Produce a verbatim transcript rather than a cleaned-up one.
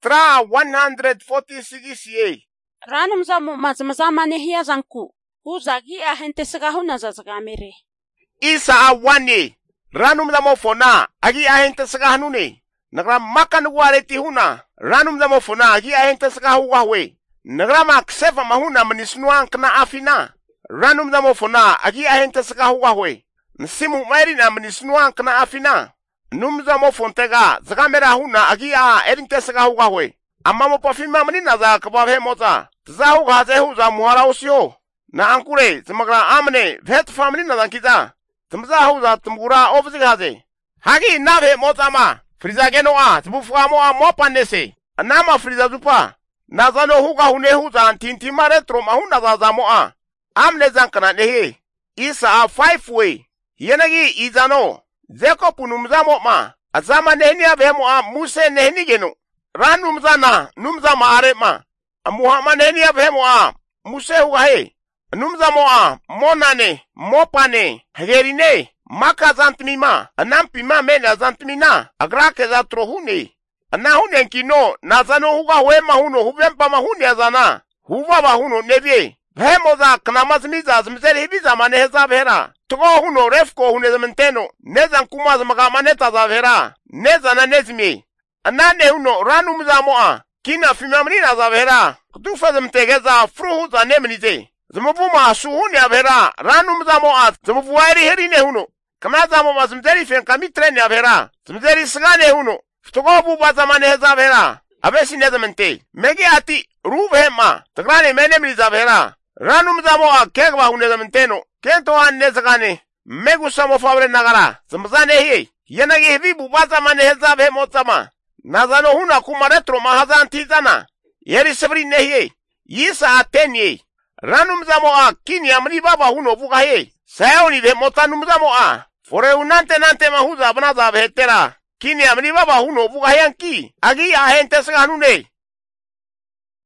Tra one hundred forty-six ye. Ranum zamu mazamazama nehia zanku. Uzagi ahente segahuna zazagamere. Isa a one ranum zamo fona agi ahente segahnune. Nagra makan wareti huna. Ranum zamo fona agi ahente segahu wahwe. Nagra mak seva mahuna menisnuang kena afina. Ranum zamo fona agi ahente segahu wahwe. Nsimu mairina menisnuang kena afina. Numza mo fontega zagamera huna agi a erinte segahu wahwe. Amma mo pafima menina za kababhe moza. Zahu gaze hu za muhara usio. Na ankure zamagra amne vet family na zankiza. Tumza hu za tumgura ofisi gaze. Hagi nave moza ma. Friza geno a tubufuga mo a mo panese. Anama friza zupa. Nazano huga hune hu za antintima retro mahuna za za mo a. Amne zankana nehe. Isa a five way. Yenagi izano. Zeko punumza mo ma. Azama nehni avemo a muse nehni geno. Ran numza na numza ma are ma. Muhammad nehni avemo a muse huga he. Numza mo a monane mopane herine maka zantmima. Anampima mena zantmina. Agrake za trohune. Anahune kino nazano huga wema huno huvempa mahuni azana. Huva wa huno nevye. Vemo za kanamazmiza zmzeli hibiza maneheza vera. Tuko huno refko hune zamenteno. Neza kuma zamaga maneta za vera. Neza na nezmi. Anane huno ranu mza moa. Kina fimamnina za vera. Kutufa zamtegeza fruhu za nemnize. Zamuvuma suhuni ya vera. Ranu mza moa. Zamuvuwairi herine huno. Kama za moa zmzeli fenkami treni ya vera. Zmzeli sigane huno. Tuko buba za maneheza vera. Abesi neza mente. Megi ati ruvema. Tagrani menemni za vera. Ranu mza moa kegwa hune zamenteno. Kento anne zagane. Megu samo fabre nagara. Zamzane hiye. Yenagi hivi bubaza maneheza ve motama. Nazano huna kumaretro mahazan tizana. Yeri sabri nehiye. Yisa atenye. Ranu mzamo a kini amri baba huno vuga he. Sayoni ve motanu mzamo a. Fore unante nante mahuza banaza ve tera. Kini amri baba huno vuga he anki. Agi ahente saganune.